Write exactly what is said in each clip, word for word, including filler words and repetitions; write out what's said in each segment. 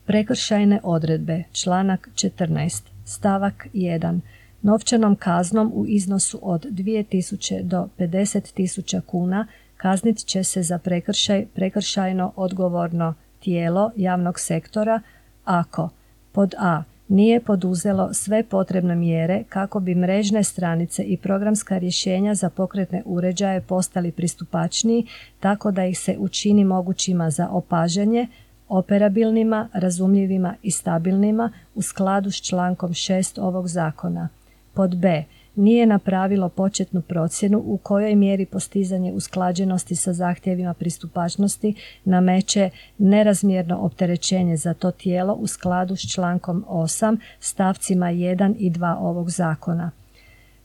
Prekršajne odredbe, članak četrnaest, stavak jedan. Novčanom kaznom u iznosu od dvije tisuće do pedeset tisuća kuna kaznit će se za prekršaj prekršajno odgovorno tijelo javnog sektora ako pod a. nije poduzelo sve potrebne mjere kako bi mrežne stranice i programska rješenja za pokretne uređaje postali pristupačniji tako da ih se učini mogućima za opažanje, operabilnima, razumljivima i stabilnima u skladu s člankom šest ovog zakona. Pod b. nije napravilo početnu procjenu u kojoj mjeri postizanje usklađenosti sa zahtjevima pristupačnosti nameće nerazmjerno opterećenje za to tijelo u skladu s člankom osam stavcima jedan i dva ovog zakona.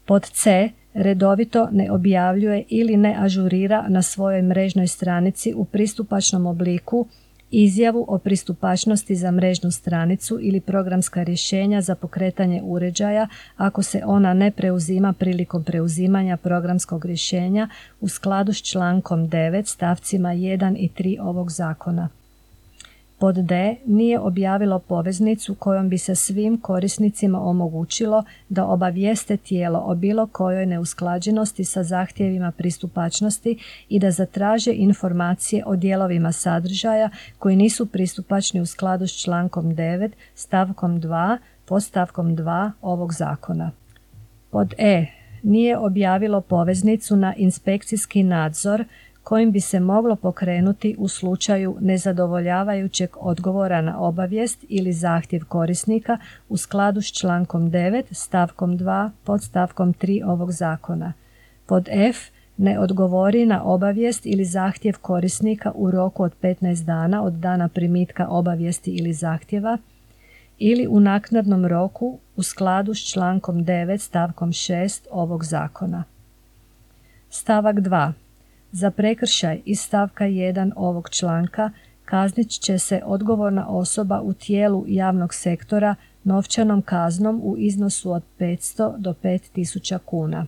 Pod c. redovito ne objavljuje ili ne ažurira na svojoj mrežnoj stranici u pristupačnom obliku izjavu o pristupačnosti za mrežnu stranicu ili programska rješenja za pokretanje uređaja ako se ona ne preuzima prilikom preuzimanja programskog rješenja u skladu s člankom devet stavcima jedan i tri ovog zakona. Pod d. nije objavilo poveznicu kojom bi se svim korisnicima omogućilo da obavijeste tijelo o bilo kojoj neusklađenosti sa zahtjevima pristupačnosti i da zatraže informacije o dijelovima sadržaja koji nisu pristupačni u skladu s člankom devet stavkom dva podstavkom dva ovog zakona. Pod e. nije objavilo poveznicu na inspekcijski nadzor kojim bi se moglo pokrenuti u slučaju nezadovoljavajućeg odgovora na obavijest ili zahtjev korisnika u skladu s člankom devet stavkom dva podstavkom tri ovog zakona. Pod f. ne odgovori na obavijest ili zahtjev korisnika u roku od petnaest dana od dana primitka obavijesti ili zahtjeva ili u naknadnom roku u skladu s člankom devet stavkom šest ovog zakona. Stavak dva. Za prekršaj iz stavka jedan ovog članka kaznit će se odgovorna osoba u tijelu javnog sektora novčanom kaznom u iznosu od petsto do pet tisuća kuna.